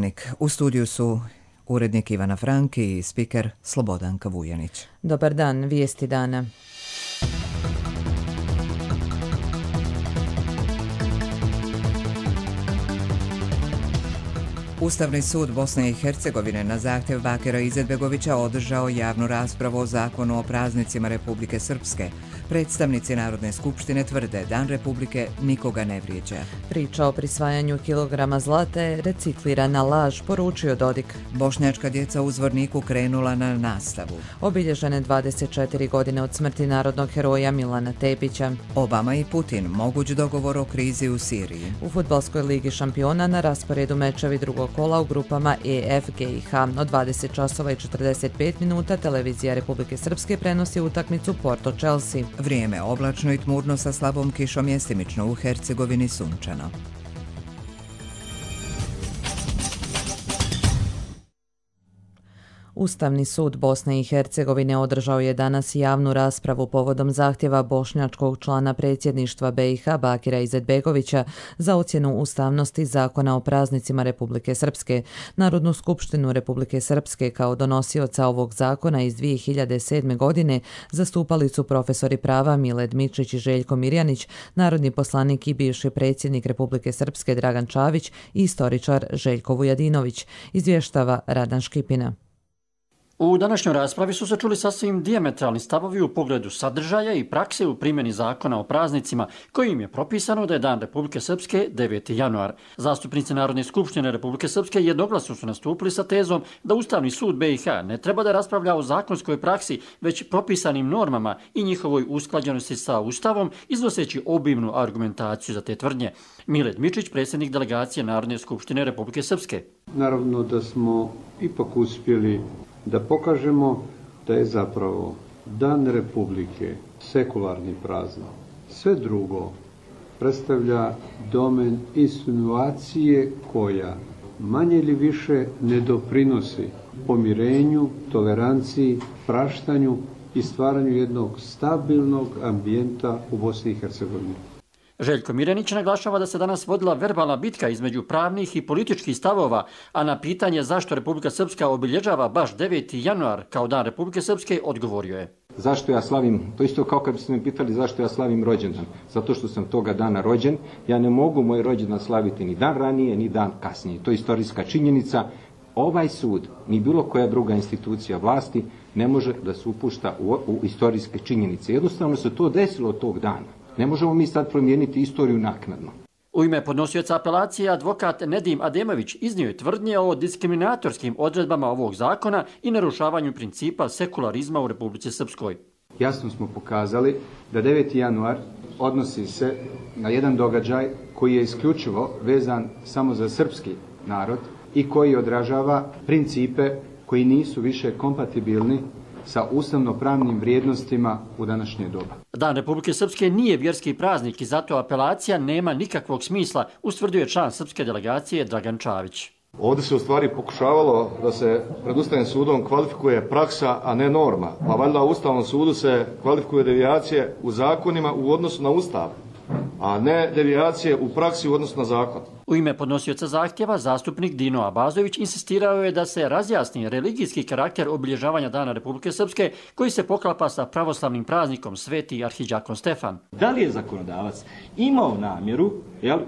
Dnevnik. U studiju su urednik Ivana Franki i spiker Slobodanka Vujanić. Dobar dan, vijesti dana. Ustavni sud Bosne i Hercegovine na zahtjev Bakira Izetbegovića održao javnu raspravu o zakonu o praznicima Republike Srpske. Predstavnici Narodne skupštine tvrde Dan Republike nikoga ne vrijeđa. Priča o prisvajanju kilograma zlata je reciklirana laž, poručio Dodik. Bošnjačka djeca u Zvorniku krenula na nastavu. Obilježene 24 godine od smrti narodnog heroja Milana Tepića. Obama i Putin, moguć dogovor o krizi u Siriji. U fudbalskoj ligi šampiona na rasporedu mečevi drugog kola u grupama EF, G i H. Od 20 časova i 45 minuta televizija Republike Srpske prenosi utakmicu Porto-Chelsea. Vrijeme oblačno i tmurno sa slabom kišom, mjestimično u Hercegovini sunčano. Ustavni sud Bosne i Hercegovine održao je danas javnu raspravu povodom zahtjeva bošnjačkog člana predsjedništva BiH Bakira Izetbegovića za ocjenu ustavnosti zakona o praznicima Republike Srpske. Narodnu skupštinu Republike Srpske kao donosioca ovog zakona iz 2007. godine zastupali su profesori prava Miled Mičić i Željko Mirjanić, narodni poslanik i bivši predsjednik Republike Srpske Dragan Čavić i istoričar Željko Vujadinović, izvještava Radan Škipina. U današnjoj raspravi su se čuli sasvim dijametralni stavovi u pogledu sadržaja i prakse u primjeni zakona o praznicima, kojim je propisano da je Dan Republike Srpske 9. januar. Zastupnici Narodne skupštine Republike Srpske jednoglasno su nastupili sa tezom da Ustavni sud BiH ne treba da raspravlja o zakonskoj praksi, već propisanim normama i njihovoj usklađenosti sa Ustavom, iznoseći obimnu argumentaciju za te tvrdnje. Miled Mičić, predsjednik delegacije Narodne skupštine Republike Srpske. Naravno da smo ipak uspjeli da pokažemo da je zapravo Dan Republike sekularni praznik. Sve drugo predstavlja domen insinuacije koja manje ili više ne doprinosi pomirenju, toleranciji, praštanju i stvaranju jednog stabilnog ambijenta u Bosni i Hercegovini. Željko Mirjanić naglašava da se danas vodila verbalna bitka između pravnih i političkih stavova, a na pitanje zašto Republika Srpska obilježava baš 9. januar kao Dan Republike Srpske odgovorio je. Zašto ja slavim, to isto kao kad biste me pitali zašto ja slavim rođendan. Zato što sam toga dana rođen, ja ne mogu moj rođendan slaviti ni dan ranije, ni dan kasnije. To je istorijska činjenica. Ovaj sud, ni bilo koja druga institucija vlasti, ne može da se upušta u istorijske činjenice. Jednostavno se to desilo tog dana. Ne možemo mi sad promijeniti istoriju naknadno. U ime podnosioca apelacije advokat Nedim Ademović iznio je tvrdnje o diskriminatorskim odredbama ovog zakona i narušavanju principa sekularizma u Republici Srpskoj. Jasno smo pokazali da 9. januar odnosi se na jedan događaj koji je isključivo vezan samo za srpski narod i koji odražava principe koji nisu više kompatibilni sa ustavno-pravnim vrijednostima u današnje doba. Dan Republike Srpske nije vjerski praznik i zato apelacija nema nikakvog smisla, ustvrdio je član srpske delegacije Dragan Čavić. Ovdje se u stvari pokušavalo da se pred Ustavnim sudom kvalifikuje praksa, a ne norma. Pa valjda u Ustavnom sudu se kvalifikuje devijacije u zakonima u odnosu na Ustav, a ne devijacije u praksi u odnosu na zakon. U ime podnosioca zahtjeva zastupnik Dino Abazović insistirao je da se razjasni religijski karakter obilježavanja Dana Republike Srpske koji se poklapa sa pravoslavnim praznikom Sveti arhidžakon Stefan. Da li je zakonodavac imao namjeru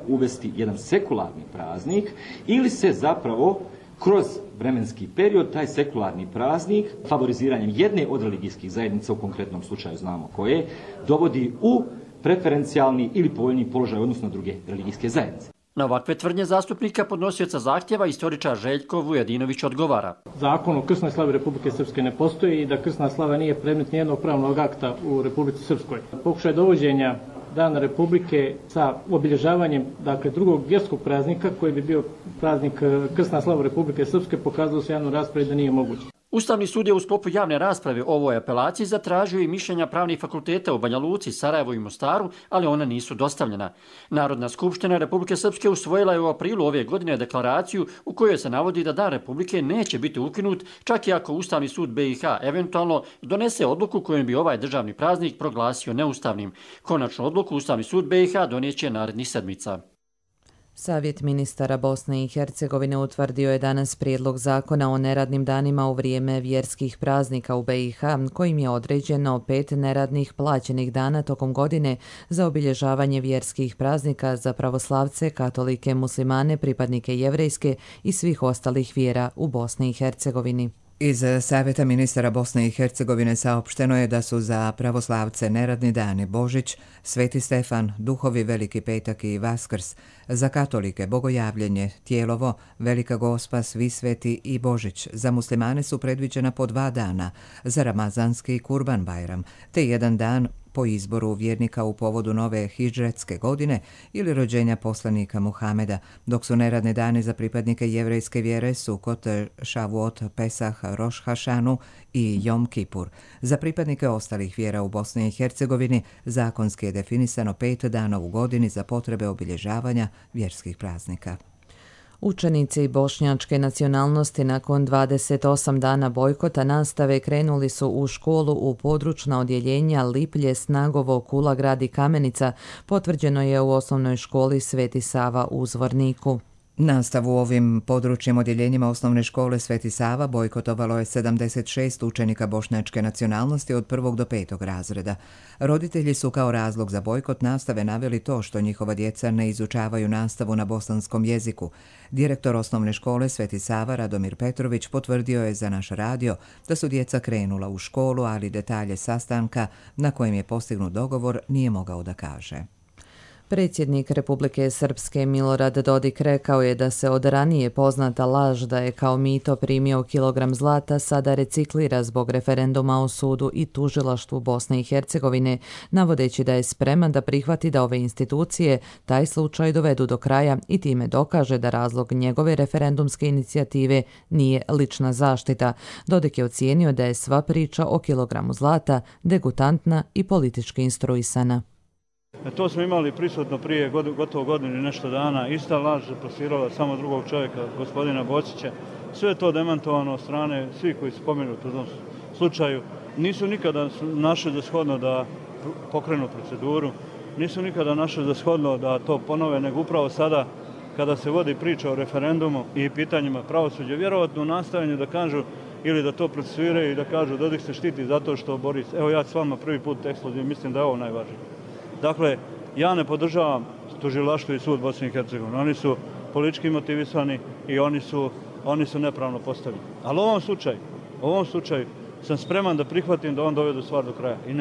uvesti jedan sekularni praznik ili se zapravo kroz vremenski period taj sekularni praznik favoriziranjem jedne od religijskih zajednica, u konkretnom slučaju znamo koje, dovodi u preferencijalni ili povoljni položaj odnosno druge religijske zajednice. Na ovakve tvrdnje zastupnika podnosioca zahtjeva istoričar Željko Vujadinović odgovara. Zakon o krsnoj slavi Republike Srpske ne postoji i da krsna slava nije predmet nijednog pravnog akta u Republici Srpskoj. Pokušaj dovođenja Dana Republike sa obilježavanjem drugog vjerskog praznika koji bi bio praznik krsna slava Republike Srpske pokazalo se javno raspravi da nije moguće. Ustavni sud je u sklopu javne rasprave o ovoj apelaciji zatražio i mišljenja pravnih fakulteta u Banja Luci, Sarajevu i Mostaru, ali ona nisu dostavljena. Narodna skupština Republike Srpske usvojila je u aprilu ove godine deklaraciju u kojoj se navodi da Dan Republike neće biti ukinut, čak i ako Ustavni sud BiH eventualno donese odluku kojom bi ovaj državni praznik proglasio neustavnim. Konačnu odluku Ustavni sud BiH donijet će narednih sedmica. Savjet ministara Bosne i Hercegovine utvrdio je danas prijedlog zakona o neradnim danima u vrijeme vjerskih praznika u BiH, kojim je određeno 5 neradnih plaćenih dana tokom godine za obilježavanje vjerskih praznika za pravoslavce, katolike, muslimane, pripadnike jevrejske i svih ostalih vjera u Bosni i Hercegovini. Iz Savjeta ministara Bosne i Hercegovine saopšteno je da su za pravoslavce neradni dani Božić, Sveti Stefan, Duhovi Veliki petak i Vaskrs, za katolike Bogojavljenje, Tijelovo, Velika Gospa, Svi sveti i Božić. Za muslimane su predviđena po 2 dana, za ramazanski Kurban Bajram, te 1 dan po izboru vjernika u povodu nove hidžretske godine ili rođenja poslanika Muhameda, dok su neradni dani za pripadnike jevrejske vjere Sukot, Šavuot, Pesah, Roš Hašanu i Jom Kipur. Za pripadnike ostalih vjera u Bosni i Hercegovini zakonski je definisano 5 dana u godini za potrebe obilježavanja vjerskih praznika. Učenici bošnjačke nacionalnosti nakon 28 dana bojkota nastave krenuli su u školu u područna odjeljenja Liplje, Snagovo, Kulagrad i Kamenica, potvrđeno je u osnovnoj školi Sveti Sava u Zvorniku. Nastavu u ovim područnim odjeljenjima osnovne škole Sveti Sava bojkotovalo je 76 učenika bošnjačke nacionalnosti od 1. do 5. razreda. Roditelji su kao razlog za bojkot nastave naveli to što njihova djeca ne izučavaju nastavu na bosanskom jeziku. Direktor osnovne škole Sveti Sava Radomir Petrović potvrdio je za naš radio da su djeca krenula u školu, ali detalje sastanka na kojem je postignut dogovor nije mogao da kaže. Predsjednik Republike Srpske Milorad Dodik rekao je da se od ranije poznata laž da je kao mito primio kilogram zlata sada reciklira zbog referenduma o sudu i tužilaštvu Bosne i Hercegovine, navodeći da je spreman da prihvati da ove institucije taj slučaj dovedu do kraja i time dokaže da razlog njegove referendumske inicijative nije lična zaštita. Dodik je ocijenio da je sva priča o kilogramu zlata degutantna i politički instruisana. To smo imali prisutno prije gotovo godinu i nešto dana. Ista laž je plasirala samo drugog čovjeka, gospodina Bocića. Sve je to demantovano od strane svih koji su spomenuti u tom slučaju. Nisu nikada našli za shodno da pokrenu proceduru, nisu nikada našli za shodno da to ponove, nego upravo sada kada se vodi priča o referendumu i pitanjima pravosuđa, vjerovatno u nastajanju da kažu ili da to procesuiraju i da kažu Dodik se štiti zato što Boris, evo ja s vama prvi put ekskluzivno, mislim da je ovo najvažnije. Dakle, ja ne podržavam tužilaštvo i sud Bosne i Hercegovine. Oni su politički motivisani i oni su nepravno postavljeni. Ali u ovom slučaju sam spreman da prihvatim da on dovedu stvar do kraja. I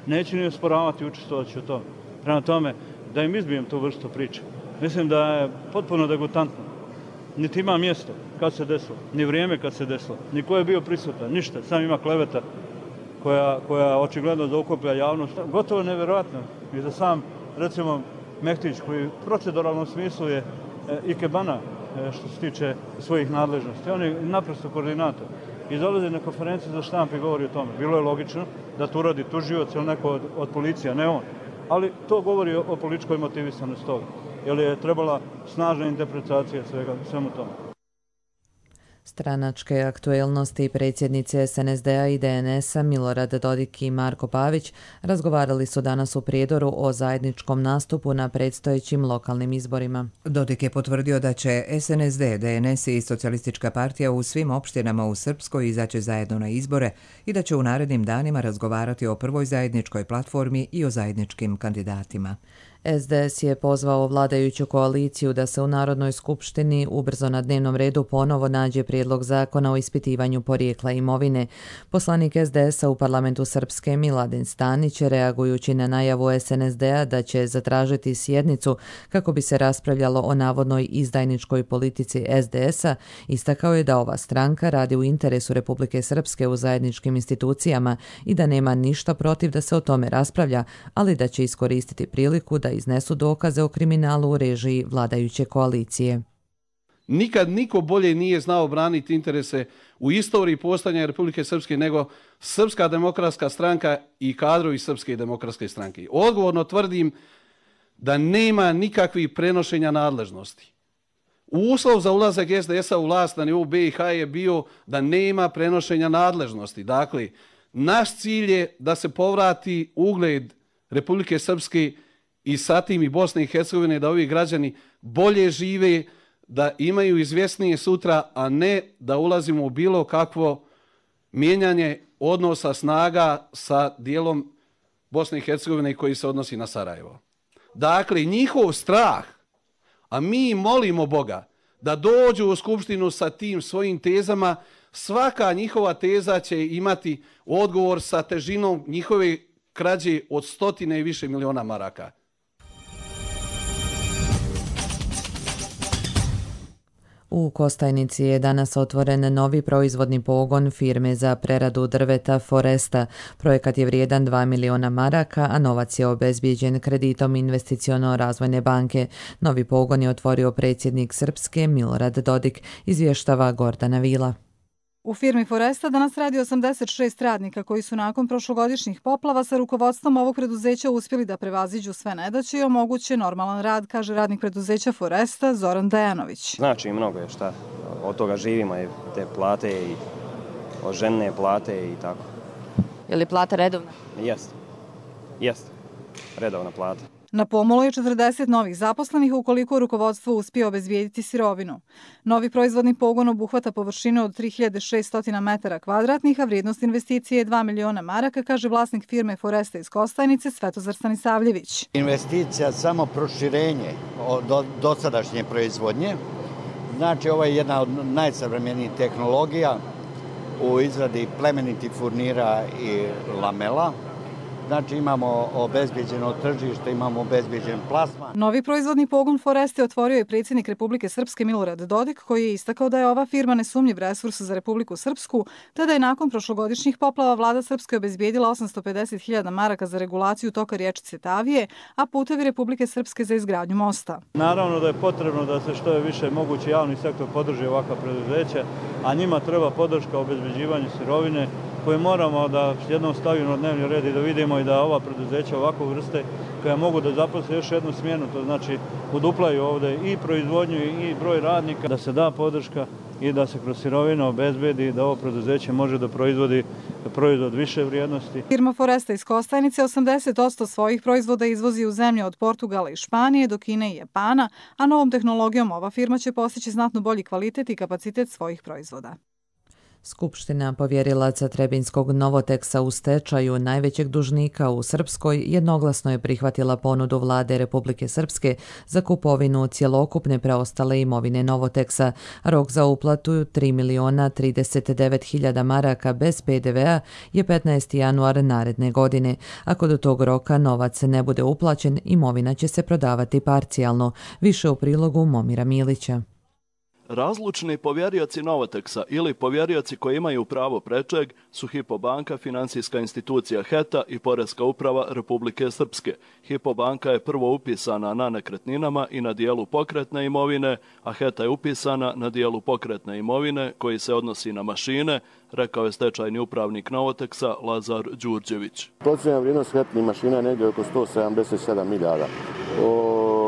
neću ni osporavati i učestvovati u tome. Prema tome, da im izbijem tu vrstu priče. Mislim da je potpuno degutantno. Niti ima mjesto kad se desilo, ni vrijeme kad se desilo, ni ko je bio prisutan, ništa. Sam ima kleveta koja očigledno zaokuplja javnost. Gotovo nevjerojatno. I za sam, recimo, Mehtić, koji u proceduralnom smislu je ikebana što se tiče svojih nadležnosti. On je naprosto koordinator. I dolazi na konferenciju za štampu i govori o tome. Bilo je logično da to uradi tužioc ili neko od policija, ne on. Ali to govori o političkoj motivisanosti toga. Jer je trebala snažna interpretacija svemu tome. Stranačke aktuelnosti predsjednice SNSD-a i DNS-a Milorad Dodik i Marko Pavić razgovarali su danas u Prijedoru o zajedničkom nastupu na predstojećim lokalnim izborima. Dodik je potvrdio da će SNSD, DNS i Socijalistička partija u svim opštinama u Srpskoj izaći zajedno na izbore i da će u narednim danima razgovarati o prvoj zajedničkoj platformi i o zajedničkim kandidatima. SDS je pozvao vladajuću koaliciju da se u Narodnoj skupštini ubrzo na dnevnom redu ponovo nađe prijedlog zakona o ispitivanju porijekla imovine. Poslanik SDS-a u parlamentu Srpske Miladin Stanić, reagujući na najavu SNSD-a da će zatražiti sjednicu kako bi se raspravljalo o navodnoj izdajničkoj politici SDS-a, istakao je da ova stranka radi u interesu Republike Srpske u zajedničkim institucijama i da nema ništa protiv da se o tome raspravlja, ali da će iskoristiti priliku da iznesu dokaze o kriminalu u režiji vladajuće koalicije. Nikad niko bolje nije znao braniti interese u istoriji postojanja Republike Srpske nego Srpska demokratska stranka i kadrovi Srpske demokratske stranke. Odgovorno tvrdim da nema nikakvih prenošenja nadležnosti. Uslov za ulazak SDS-a u vlast na nivou BiH je bio da nema prenošenja nadležnosti. Dakle, naš cilj je da se povrati ugled Republike Srpske i sa tim i Bosne i Hercegovine, da ovi građani bolje žive, da imaju izvjesnije sutra, a ne da ulazimo u bilo kakvo mijenjanje odnosa snaga sa dijelom Bosne i Hercegovine koji se odnosi na Sarajevo. Dakle, njihov strah, a mi molimo Boga da dođu u Skupštinu sa tim svojim tezama, svaka njihova teza će imati odgovor sa težinom njihove krađe od 100 i više miliona maraka. U Kostajnici je danas otvoren novi proizvodni pogon firme za preradu drveta Foresta. Projekat je vrijedan 2 miliona maraka, a novac je obezbijeđen kreditom Investiciono-razvojne banke. Novi pogon je otvorio predsjednik Srpske Milorad Dodik, izvještava Gordana Vila. U firmi Foresta danas radi 86 radnika koji su nakon prošlogodišnjih poplava sa rukovodstvom ovog preduzeća uspjeli da prevaziđu sve nedaće i omoguće normalan rad, kaže radnik preduzeća Foresta Zoran Dejanović. Znači mnogo je šta, od toga živimo i te plate i od žene plate i tako. Je li plata redovna? Jest, redovna plata. Na pomolu je 40 novih zaposlenih ukoliko rukovodstvo uspije obezbijediti sirovinu. Novi proizvodni pogon obuhvata površinu od 3600 metara kvadratnih, a vrijednost investicije je 2 miliona maraka, kaže vlasnik firme Foresta iz Kostajnice Svetozar Stanisavljević. Investicija samo proširenje od dosadašnje proizvodnje. Znači, ovo je jedna od najsavremenijih tehnologija u izradi plemenitih furnira i lamela. Znači imamo obezbijeđeno tržište, imamo obezbijeđen plasman. Novi proizvodni pogon Foreste otvorio je predsjednik Republike Srpske Milorad Dodik, koji je istakao da je ova firma nesumnjiv resurs za Republiku Srpsku, te da je nakon prošlogodišnjih poplava vlada Srpske obezbijedila 850.000 maraka za regulaciju toka riječice Tavije, a putevi Republike Srpske za izgradnju mosta. Naravno da je potrebno da se što je više moguće javni sektor podrži ovakva preduzeća, a njima treba podrška obezbeđivanju sirovine, koje moramo da jednom stavimo na dnevni red i da vidimo i da ova preduzeća ovakve vrste koja mogu da zaposle još jednu smjenu, to znači uduplaju ovdje i proizvodnju i broj radnika, da se da podrška i da se kroz sirovinu obezbedi da ovo preduzeće može da proizvodi proizvod više vrijednosti. Firma Foresta iz Kostajnice 80% svojih proizvoda izvozi u zemlje od Portugala i Španije do Kine i Japana, a novom tehnologijom ova firma će postići znatno bolji kvalitet i kapacitet svojih proizvoda. Skupština povjerilaca Trebinskog Novoteksa u stečaju, najvećeg dužnika u Srpskoj, jednoglasno je prihvatila ponudu vlade Republike Srpske za kupovinu cjelokupne preostale imovine Novoteksa. Rok za uplatu 3.039.000 maraka bez PDV-a je 15. januar naredne godine. Ako do tog roka novac ne bude uplaćen, imovina će se prodavati parcijalno. Više u prilogu Momira Milića. Razlučni povjerioci Novoteksa ili povjerioci koji imaju pravo prečeg su Hypo banka, financijska institucija HETA i Poreska uprava Republike Srpske. Hypo banka je prvo upisana na nekretninama i na dijelu pokretne imovine, a HETA je upisana na dijelu pokretne imovine koji se odnosi na mašine, rekao je stečajni upravnik Novoteksa Lazar Đurđević. Procjena vrijednost HETA mašina je negdje oko 177 milijada.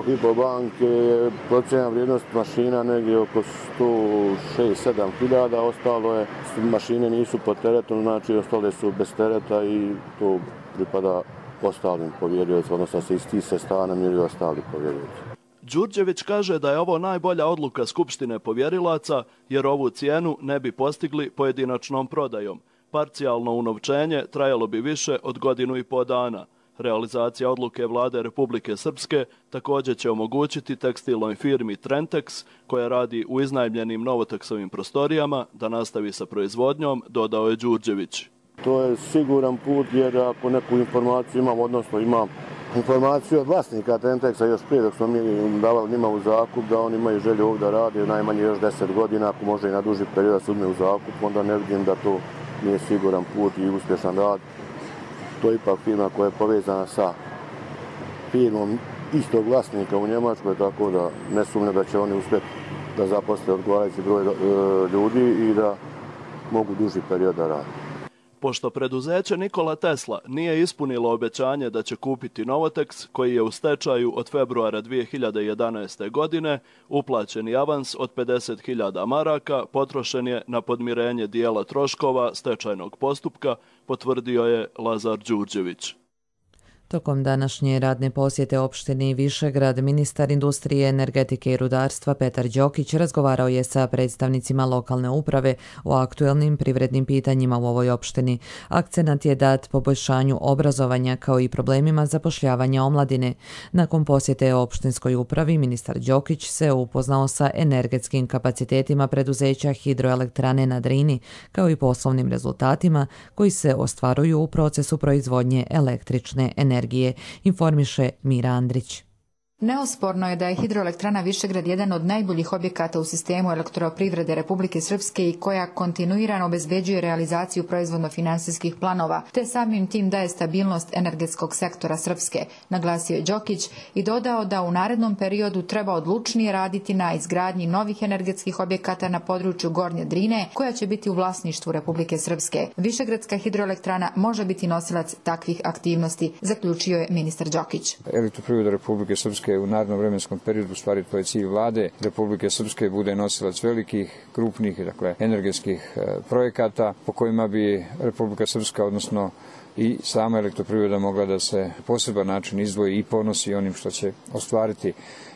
Hypo banke je procjena vrijednost mašina negdje oko 106-7 hiljada, ostalo je, mašine nisu pod teretom, znači ostale su bez tereta i to pripada ostalim povjeriocima, odnosno se iz tih sredstava namiraju ostali povjerioci. Đurđević kaže da je ovo najbolja odluka Skupštine povjerilaca jer ovu cijenu ne bi postigli pojedinačnom prodajom. Parcijalno unovčenje trajalo bi više od 1,5 godina. Realizacija odluke vlade Republike Srpske također će omogućiti tekstilnoj firmi Trentex, koja radi u iznajmljenim Novoteksovim prostorijama, da nastavi sa proizvodnjom, dodao je Đurđević. To je siguran put jer ako neku informaciju imam, odnosno imam informaciju od vlasnika Trentexa još prije dok smo mi davali njima u zakup da oni imaju želju ovdje da rade najmanje još 10 godina, ako može i na duži period da se uzme u zakup, onda ne vidim da to nije siguran put i uspješan rad. To je ipak firma koja je povezana sa firmom istog vlasnika u Njemačkoj, tako da ne sumnjam da će oni uspjeti da zaposle odgovarajući broj ljudi i da mogu duži period da rade. Pošto preduzeće Nikola Tesla nije ispunilo obećanje da će kupiti Novoteks, koji je u stečaju od februara 2011. godine, uplaćeni avans od 50.000 maraka potrošen je na podmirenje dijela troškova stečajnog postupka, potvrdio je Lazar Đurđević. Tokom današnje radne posjete opštini Višegrad, ministar industrije, energetike i rudarstva Petar Đokić razgovarao je sa predstavnicima lokalne uprave o aktuelnim privrednim pitanjima u ovoj opštini. Akcenat je dat poboljšanju obrazovanja kao i problemima zapošljavanja omladine. Nakon posjete opštinskoj upravi, ministar Đokić se upoznao sa energetskim kapacitetima preduzeća Hidroelektrane na Drini, kao i poslovnim rezultatima koji se ostvaruju u procesu proizvodnje električne energije, informiše Mira Andrić. Neosporno je da je Hidroelektrana Višegrad jedan od najboljih objekata u sistemu elektroprivrede Republike Srpske i koja kontinuirano obezbeđuje realizaciju proizvodno-finansijskih planova, te samim tim daje stabilnost energetskog sektora Srpske, naglasio je Đokić i dodao da u narednom periodu treba odlučnije raditi na izgradnji novih energetskih objekata na području Gornje Drine, koja će biti u vlasništvu Republike Srpske. Višegradska hidroelektrana može biti nosilac takvih aktivnosti, zaključio je ministar Đokić. Elektroprivreda Republike Srpske u narednom vremenskom periodu, stvari to je cilj vlade Republike Srpske, bude nosilac velikih, krupnih, energetskih projekata po kojima bi Republika Srpska, odnosno i sama elektroprivreda mogla da se poseban način izdvoji i ponosi onim što će ostvariti.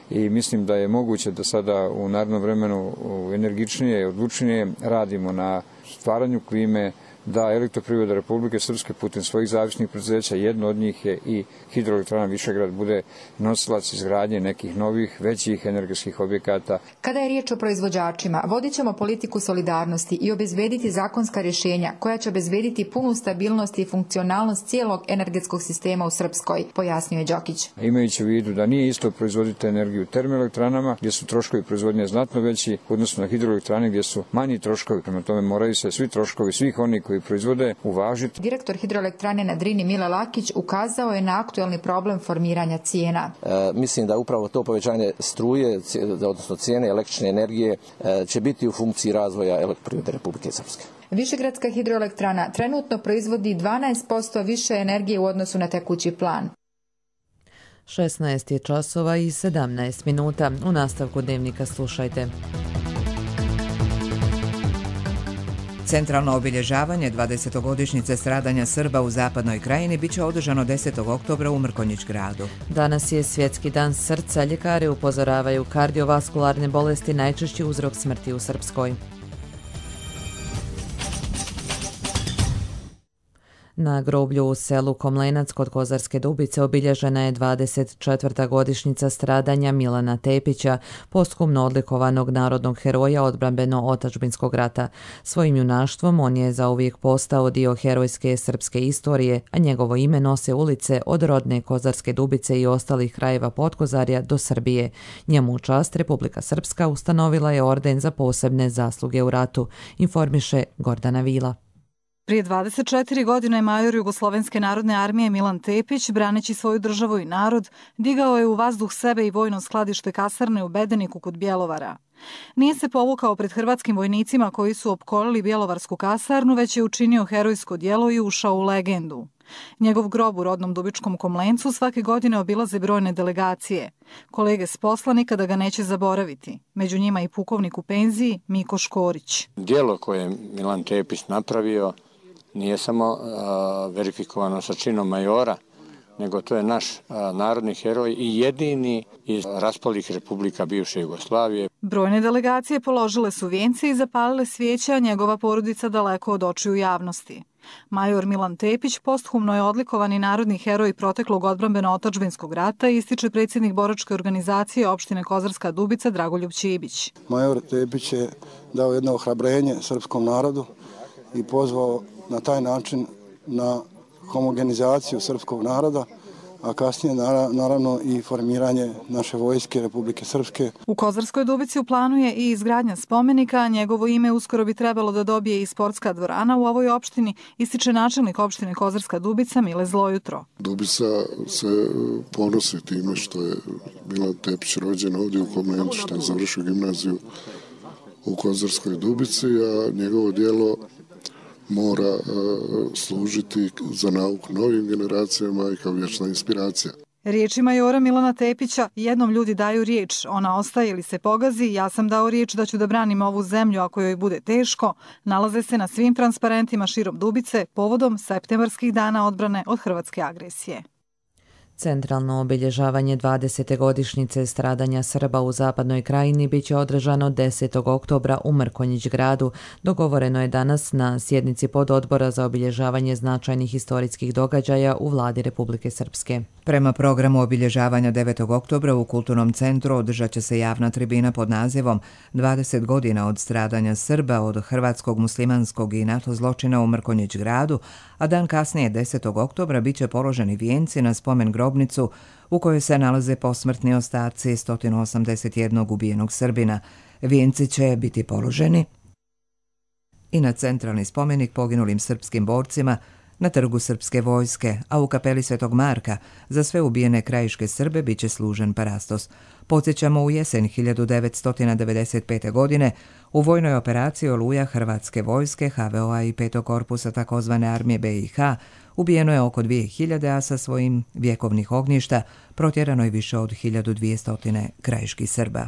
I mislim da je moguće da sada u narednom vremenu energičnije i odlučnije radimo na stvaranju klime da elektroprivreda Republike Srpske putem svojih zavisnih preduzeća, jedno od njih je i Hidroelektrana Višegrad, bude nosilac izgradnje nekih novih, većih energetskih objekata. Kada je riječ o proizvođačima, vodit ćemo politiku solidarnosti i obezbediti zakonska rješenja koja će obezbediti punu stabilnost i funkcionalnost cijelog energetskog sistema u Srpskoj, pojasnio je Đokić. Imajući u vidu da nije isto proizvoditi energiju u termoelektranama, gdje su troškovi proizvodnje znatno veći, odnosno na hidroelektrane gdje su manji troškovi, prema tome moraju se svi troškovi svih onih koji proizvode uvažiti. Direktor Hidroelektrane na Drini Mile Lakić ukazao je na aktuelni problem formiranja cijena. Mislim da upravo to povećanje struje, odnosno cijene električne energije, će biti u funkciji razvoja elektroprivrede Republike Srpske. Višegradska hidroelektrana trenutno proizvodi 12% više energije u odnosu na tekući plan. 16 je časova i 17 minuta. U nastavku dnevnika slušajte. Centralno obilježavanje 20-godišnjice stradanja Srba u Zapadnoj krajini biće održano 10. oktobra u Mrkonjić gradu. Danas je Svjetski dan srca. Ljekari upozoravaju kardiovaskularne bolesti najčešći uzrok smrti u Srpskoj. Na groblju u selu Komlenac kod Kozarske Dubice obilježena je 24. godišnjica stradanja Milana Tepića, posthumno odlikovanog narodnog heroja odbrambeno-otačbinskog rata. Svojim junaštvom on je zauvijek postao dio herojske srpske istorije, a njegovo ime nose ulice od rodne Kozarske Dubice i ostalih krajeva Podkozarja do Srbije. Njemu u čast Republika Srpska ustanovila je orden za posebne zasluge u ratu, informiše Gordana Vila. Prije 24 godine major Jugoslovenske narodne armije Milan Tepić, braneći svoju državu i narod, digao je u vazduh sebe i vojno skladište kasarne u Bedeniku kod Bjelovara. Nije se povukao pred hrvatskim vojnicima koji su opkolili Bjelovarsku kasarnu, već je učinio herojsko djelo i ušao u legendu. Njegov grob u rodnom Dubičkom Komlencu svake godine obilaze brojne delegacije. Kolege s posla nikada ga neće zaboraviti. Među njima i pukovnik u penziji Miko Škorić. Djelo koje je Milan Tepić napravio nije samo verifikovano sa činom majora, nego to je naš narodni heroj i jedini iz raspalih republika bivše Jugoslavije. Brojne delegacije položile su vijence i zapalile svijeće, a njegova porodica daleko od očiju javnosti. Major Milan Tepić posthumno je odlikovani narodni heroj proteklog odbrambeno-otačbinskog rata, ističe predsjednik boračke organizacije opštine Kozarska Dubica Dragoljub Čibić. Major Tepić je dao jedno ohrabrenje srpskom narodu i pozvao na taj način na homogenizaciju srpskog naroda, a kasnije naravno i formiranje naše vojske Republike Srpske. U Kozarskoj Dubici u planu je i izgradnja spomenika, a njegovo ime uskoro bi trebalo da dobije i sportska dvorana u ovoj opštini, ističe načelnik opštine Kozarska Dubica Mile Zlojutro. Dubica se ponosi time što je Milan Tepić rođen ovdje u Komlencu, što je završio gimnaziju u Kozarskoj Dubici, a njegovo djelo mora služiti za nauku novim generacijama i kao vječna inspiracija. Riječi majora Milana Tepića, jednom ljudi daju riječ, ona ostaje ili se pogazi, ja sam dao riječ da ću da branim ovu zemlju ako joj bude teško, nalaze se na svim transparentima širom Dubice povodom septembarskih dana odbrane od hrvatske agresije. Centralno obilježavanje 20. godišnjice stradanja Srba u Zapadnoj Krajini biće održano 10. oktobra u Mrkonjić gradu. Dogovoreno je danas na sjednici pododbora za obilježavanje značajnih historijskih događaja u vladi Republike Srpske. Prema programu obilježavanja 9. oktobra u Kulturnom centru održat će se javna tribina pod nazivom 20 godina od stradanja Srba od hrvatskog, muslimanskog i NATO zločina u Mrkonjić gradu, a dan kasnije 10. oktobra bit će položeni vijenci na spomen grobnicu u kojoj se nalaze posmrtni ostaci 181 ubijenog Srbina. Vijenci će biti položeni i na centralni spomenik poginulim srpskim borcima na trgu Srpske vojske, a u kapeli Svetog Marka za sve ubijene krajiške Srbe bit će služen parastos. Podsjećamo, u jesen 1995. godine u vojnoj operaciji Oluja Hrvatske vojske, HVO-a i 5. korpusa takozvane armije BiH ubijeno je oko 2000, a sa svojim vjekovnih ognjišta protjerano je više od 1200 krajiških Srba.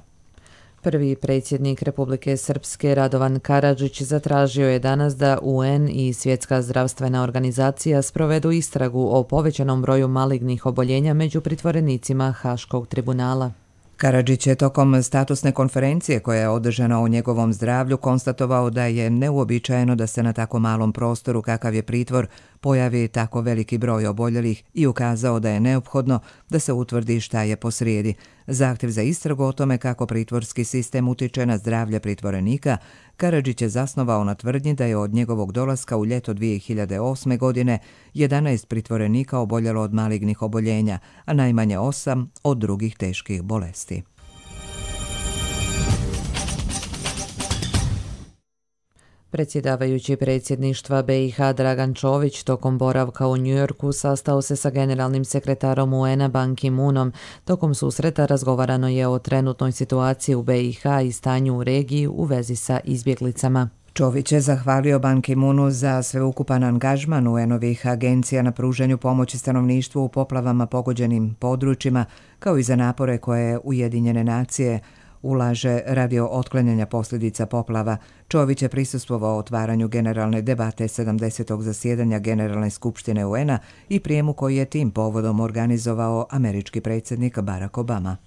Prvi predsjednik Republike Srpske Radovan Karadžić zatražio je danas da UN i Svjetska zdravstvena organizacija sprovedu istragu o povećanom broju malignih oboljenja među pritvorenicima Haškog tribunala. Karadžić je tokom statusne konferencije koja je održana o njegovom zdravlju konstatovao da je neuobičajeno da se na tako malom prostoru kakav je pritvor pojavi tako veliki broj oboljelih i ukazao da je neophodno da se utvrdi šta je posrijedi. Zahtjev za istragu o tome kako pritvorski sistem utiče na zdravlje pritvorenika Karadžić je zasnovao na tvrdnji da je od njegovog dolaska u ljeto 2008. godine 11 pritvorenika oboljelo od malignih oboljenja, a najmanje 8 od drugih teških bolesti. Predsjedavajući predsjedništva BiH Dragan Čović tokom boravka u Njujorku sastao se sa generalnim sekretarom UN-a Ban Ki-moonom. Tokom susreta razgovarano je o trenutnoj situaciji u BiH i stanju u regiji u vezi sa izbjeglicama. Čović je zahvalio Ban Ki-moonu za sveukupan angažman UN-ovih agencija na pruženju pomoći stanovništvu u poplavama pogođenim područjima, kao i za napore koje Ujedinjene nacije ulaže radi otklanjanja posljedica poplava. Čović je prisustvovao otvaranju generalne debate 70. zasjedanja Generalne skupštine UN-a i prijemu koji je tim povodom organizovao američki predsjednik Barack Obama.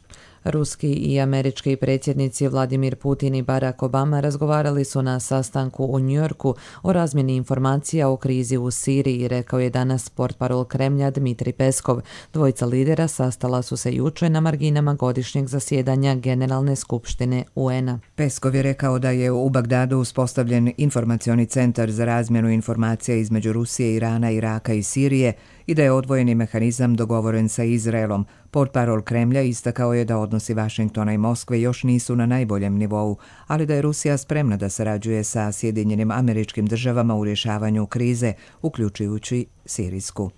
Ruski i američki predsjednici Vladimir Putin i Barack Obama razgovarali su na sastanku u Njujorku o razmjeni informacija o krizi u Siriji, rekao je danas portparol Kremlja Dmitrij Peskov. Dvojica lidera sastala su se jučer na marginama godišnjeg zasjedanja Generalne skupštine UN-a. Peskov je rekao da je u Bagdadu uspostavljen informacioni centar za razmjenu informacija između Rusije, Irana, Iraka i Sirije i da je odvojeni mehanizam dogovoren sa Izraelom. Portparol Kremlja istakao je da odnosi Vašingtona i Moskve još nisu na najboljem nivou, ali da je Rusija spremna da sarađuje sa Sjedinjenim Američkim Državama u rješavanju krize, uključujući sirijsku.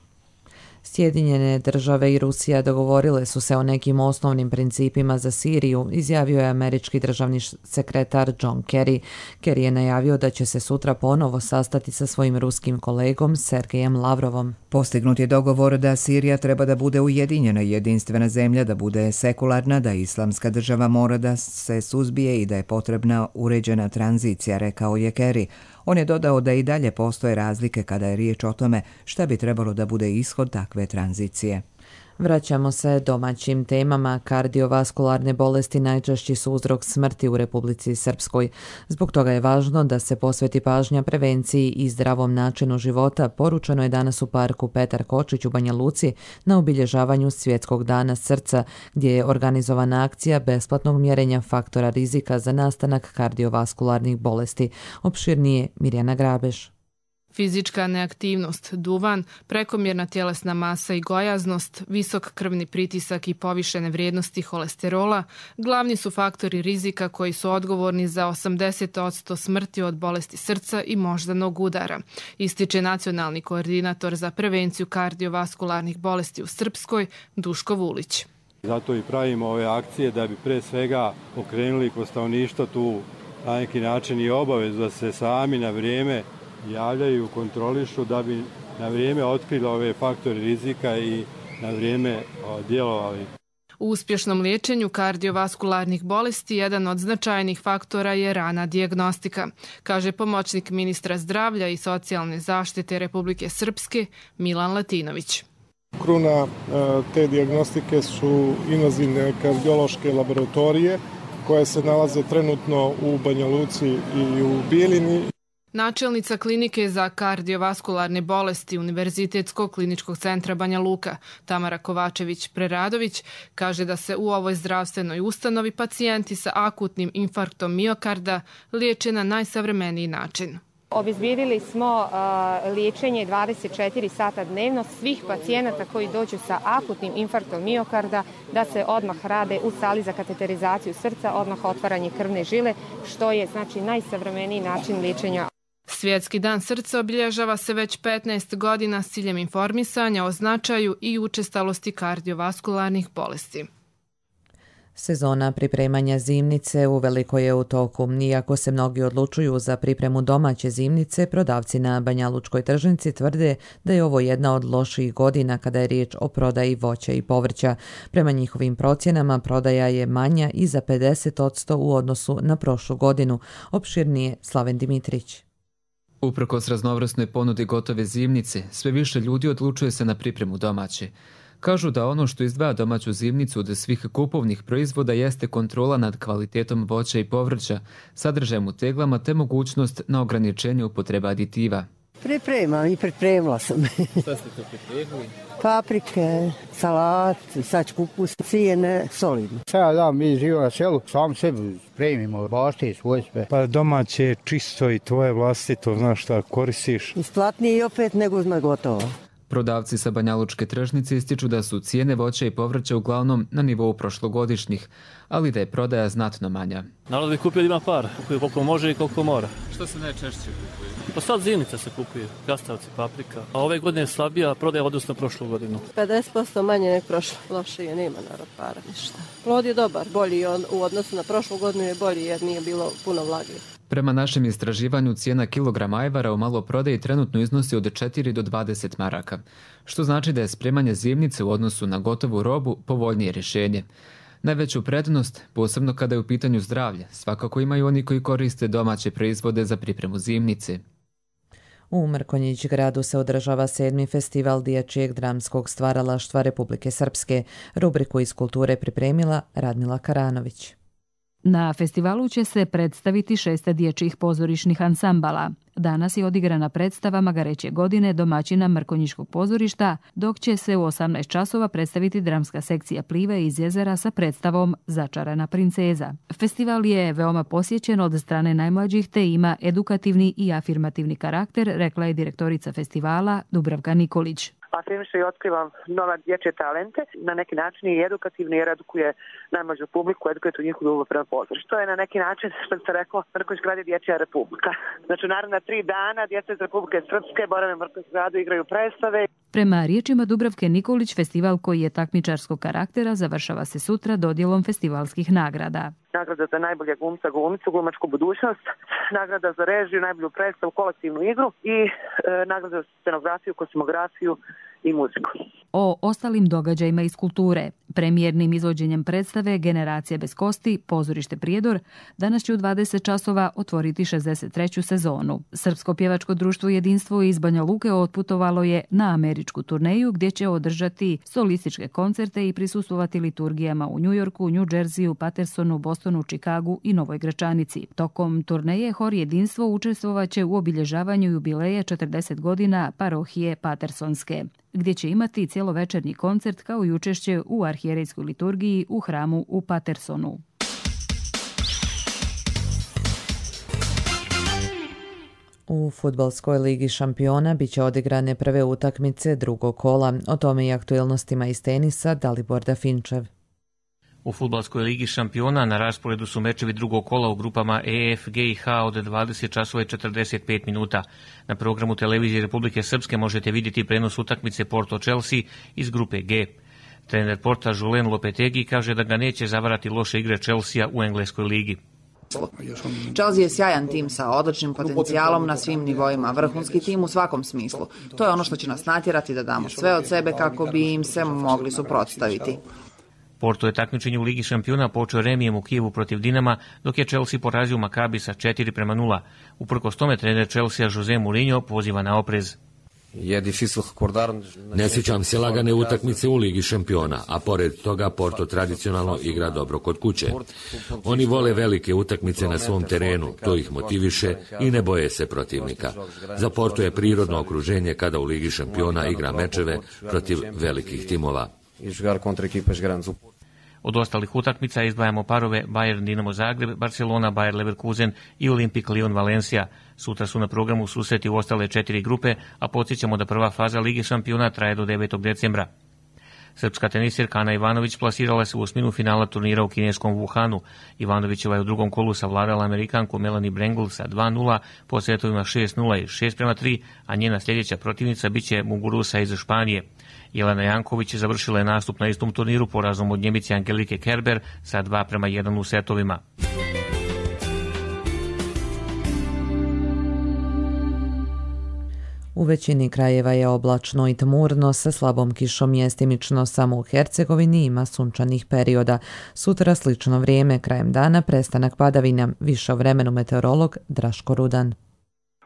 Sjedinjene države i Rusija dogovorile su se o nekim osnovnim principima za Siriju, izjavio je američki državni sekretar John Kerry. Kerry je najavio da će se sutra ponovo sastati sa svojim ruskim kolegom Sergejem Lavrovom. Postignut je dogovor da Sirija treba da bude ujedinjena i jedinstvena zemlja, da bude sekularna, da islamska država mora da se suzbije i da je potrebna uređena tranzicija, rekao je Kerry. On je dodao da i dalje postoje razlike kada je riječ o tome šta bi trebalo da bude ishod takve tranzicije. Vraćamo se domaćim temama. Kardiovaskularne bolesti najčešći su uzrok smrti u Republici Srpskoj. Zbog toga je važno da se posveti pažnja prevenciji i zdravom načinu života, poručeno je danas u parku Petar Kočić u Banja Luci na obilježavanju Svjetskog dana srca, gdje je organizovana akcija besplatnog mjerenja faktora rizika za nastanak kardiovaskularnih bolesti. Opširnije Mirjana Grabeš. Fizička neaktivnost, duvan, prekomjerna tjelesna masa i gojaznost, visok krvni pritisak i povišene vrijednosti holesterola glavni su faktori rizika koji su odgovorni za 80% smrti od bolesti srca i moždanog udara, ističe nacionalni koordinator za prevenciju kardiovaskularnih bolesti u Srpskoj, Duško Vulić. Zato i pravimo ove akcije da bi pre svega okrenuli kod stanovništva tu na neki način i obavezu da se sami na vrijeme javljaju, kontrolišu da bi na vrijeme otkrili ove faktore rizika i na vrijeme djelovali. U uspješnom liječenju kardiovaskularnih bolesti jedan od značajnih faktora je rana dijagnostika, kaže pomoćnik ministra zdravlja i socijalne zaštite Republike Srpske Milan Latinović. Kruna te dijagnostike su invazivne kardiološke laboratorije koje se nalaze trenutno u Banja Luci i u Bijeljini. Načelnica klinike za kardiovaskularne bolesti Univerzitetskog kliničkog centra Banja Luka, Tamara Kovačević-Preradović, kaže da se u ovoj zdravstvenoj ustanovi pacijenti sa akutnim infarktom miokarda liječe na najsavremeniji način. Obezbijedili smo liječenje 24 sata dnevno svih pacijenata koji dođu sa akutnim infarktom miokarda, da se odmah rade u sali za kateterizaciju srca, odmah otvaranje krvne žile, što je znači najsavremeniji način liječenja. Svjetski dan srca obilježava se već 15 godina s ciljem informisanja o značaju i učestalosti kardiovaskularnih bolesti. Sezona pripremanja zimnice uveliko je u toku. Iako se mnogi odlučuju za pripremu domaće zimnice, prodavci na Banjalučkoj tržnici tvrde da je ovo jedna od loših godina kada je riječ o prodaji voća i povrća. Prema njihovim procjenama, prodaja je manja i za 50% u odnosu na prošlu godinu. Opširnije Slaven Dimitrić. Uprkos raznovrsnoj ponudi gotove zimnice, sve više ljudi odlučuje se na pripremu domaće. Kažu da ono što izdvaja domaću zimnicu od svih kupovnih proizvoda jeste kontrola nad kvalitetom voća i povrća, sadržajem u teglama te mogućnost na ograničenje upotreba aditiva. Pripremam i pripremila sam. Šta ste to pripremili? Paprike, salat, sad kupus, cijene, solidno. Da, mi živimo na selu, sam sebi spremimo, bašte svoje sve. Pa domaće je čisto i tvoje vlastito, znaš šta koristiš. Isplatnije i opet nego uzme gotovo. Prodavci sa Banjalučke tržnice ističu da su cijene voća i povrća uglavnom na nivou prošlogodišnjih, ali da je prodaja znatno manja. Narod bi kupio da ima par, kupio koliko može i koliko mora. Što se najčešće kupuje? Pa sad zimnica se kupuje, krastavci, paprika. A ove godine je slabija prodaja odnosno prošlu godinu. 50% manje nek prošlo, lošije, nema narod para, ništa. Plod je dobar, bolji u odnosu na prošlu godinu je bolji jer nije bilo puno vlage. Prema našem istraživanju, cijena kilograma ajvara u maloprodaji trenutno iznosi od 4 do 20 maraka, što znači da je spremanje zimnice u odnosu na gotovu robu povoljnije rješenje. Najveću prednost, posebno kada je u pitanju zdravlje, svakako imaju oni koji koriste domaće proizvode za pripremu zimnice. U Mrkonjić gradu se održava 7. festival dječjeg dramskog stvaralaštva Republike Srpske. Rubriku iz kulture pripremila Radmila Karanović. Na festivalu će se predstaviti 6 dječjih pozorišnih ansambala. Danas je odigrana predstava Magareće godine domaćina Mrkonjiškog pozorišta, dok će se u 18 časova predstaviti dramska sekcija Plive iz Jezera sa predstavom Začarana princeza. Festival je veoma posjećen od strane najmlađih te ima edukativni i afirmativni karakter, rekla je direktorica festivala Dubravka Nikolić. Afirmišem i otkrivam nova dječje talente, na neki način i edukativni jer edukuje najmlađu publiku, edukuje tu njihovu ljubav prema pozorištu. To je na neki način, što se reklo, Mrkonjić grad je dječja republika. Znači, naravno, 3 dana djeca iz Republike Srpske borave u Mrkonjić gradu, igraju predstave. Prema riječima Dubravke Nikolić, festival koji je takmičarskog karaktera završava se sutra dodjelom festivalskih nagrada. Nagrada za najbolje glumca, glumicu, glumačku budućnost, nagrada za režiju, najbolju predstavu, kolektivnu igru i nagrada za scenografiju, kosmografiju i muziku. O ostalim događajima iz kulture, premijernim izvođenjem predstave Generacija bez kosti, pozorište Prijedor, danas će u 20 časova otvoriti 63. sezonu. Srpsko pjevačko društvo Jedinstvo iz Banja Luke otputovalo je na američku turneju gdje će održati solističke koncerte i prisustvovati liturgijama u Njujorku, New Jerseyu, Patersonu, Bostonu, Čikagu i Novoj Gračanici. Tokom turneje Hor Jedinstvo učestvovaće u obilježavanju jubileja 40 godina parohije Patersonske, gdje će imati cjelovečernji koncert kao i učešće u arhijerejskoj liturgiji u hramu u Patersonu. U Fudbalskoj ligi šampiona biće odigrane prve utakmice drugog kola. O tome i aktuelnostima iz tenisa Dalibor Dafinčev. U Fudbalskoj ligi šampiona na rasporedu su mečevi drugog kola u grupama E, F, G i H od 20 časova i 45 minuta. Na programu televizije Republike Srpske možete vidjeti prenos utakmice Porto-Chelsea iz grupe G. Trener Porta Julen Lopetegi kaže da ga neće zavarati loše igre Chelsea u engleskoj ligi. Chelsea je sjajan tim sa odličnim potencijalom na svim nivoima, vrhunski tim u svakom smislu. To je ono što će nas natjerati da damo sve od sebe kako bi im se mogli suprotstaviti. Porto je takmičenje u Ligi šampiona počeo remijem u Kijevu protiv Dinama, dok je Chelsea porazio Makabi sa 4-0. Uprkos tome trener Chelsea Jose Mourinho poziva na oprez. Ne sjećam se lagane utakmice u Ligi šampiona, a pored toga Porto tradicionalno igra dobro kod kuće. Oni vole velike utakmice na svom terenu, to ih motiviše i ne boje se protivnika. Za Porto je prirodno okruženje kada u Ligi šampiona igra mečeve protiv velikih timova. Od ostalih utakmica izdvajamo parove Bayern Dinamo Zagreb, Barcelona Bayer Leverkusen i Olimpik Lyon Valencia. Sutra su na programu susreti u ostale 4 grupe, a podsjećamo da prva faza Lige šampiona traje do 9. decembra. Srpska tenisirka Ana Ivanović plasirala se u osminu finala turnira u kineskom Wuhanu. Ivanovićeva je u drugom kolu savladala Amerikanku Melanie Brengel sa 2-0 po setovima 6-0 i 6-3, a njena sljedeća protivnica biće Muguruza iz Španije. Jelena Janković završila je nastup na istom turniru porazom od Njemice Angelike Kerber sa 2-1 u setovima. U većini krajeva je oblačno i tmurno sa slabom kišom, mjestimično samo u Hercegovini ima sunčanih perioda. Sutra slično vrijeme, krajem dana prestanak padavina. Više o vremenu meteorolog Draško Rudan.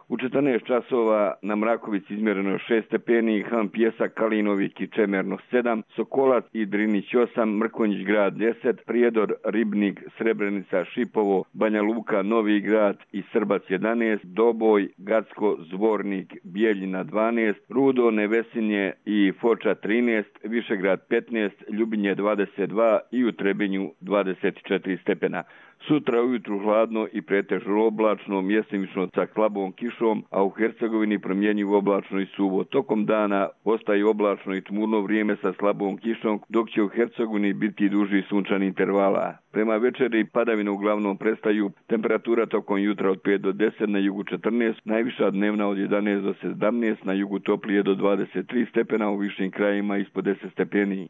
U 14 časova na Mrakovici izmjereno 6 stepeni, Han Pjesak, Kalinovik i Čemerno 7, Sokolac i Drinić 8, Mrkonjić grad 10, Prijedor, Ribnik, Srebrenica, Šipovo, Banja Luka, Novi grad i Srbac 11, Doboj, Gacko, Zvornik, Bijeljina 12, Rudo, Nevesinje i Foča 13, Višegrad 15, Ljubinje 22 i u Trebinju 24 stepena. Sutra ujutru hladno i pretežno oblačno, mjestimično sa slabom kišom, a u Hercegovini promjenjivo oblačno i suvo. Tokom dana ostaje oblačno i tmurno vrijeme sa slabom kišom, dok će u Hercegovini biti duži sunčani intervala. Prema večeri padavine uglavnom prestaju, temperatura tokom jutra od 5 do 10, na jugu 14, najviša dnevna od 11 do 17, na jugu toplije do 23 stepena, u višim krajima ispod 10 stepeni.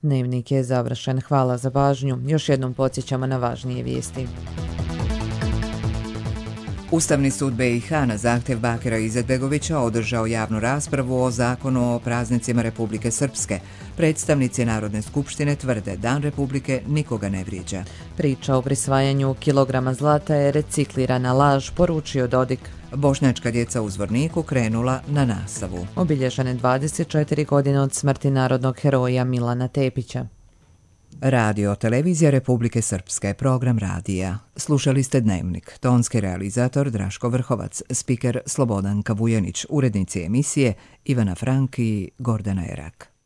Dnevnik je završen. Hvala za pažnju. Još jednom podsjećamo na važnije vijesti. Ustavni sud BiH na zahtjev Bakira Izetbegovića održao javnu raspravu o zakonu o praznicima Republike Srpske. Predstavnici Narodne skupštine tvrde Dan Republike nikoga ne vrijeđa. Priča o prisvajanju kilograma zlata je reciklirana laž, poručio Dodik. Bošnjačka djeca u Zvorniku krenula na nastavu. Obilježene 24 godine od smrti narodnog heroja Milana Tepića. Radio televizija Republike Srpske, program radija. Slušali ste Dnevnik, tonski realizator Draško Vrhovac, spiker Slobodan Kavujanić, urednici emisije Ivana Frank i Gordana Erak.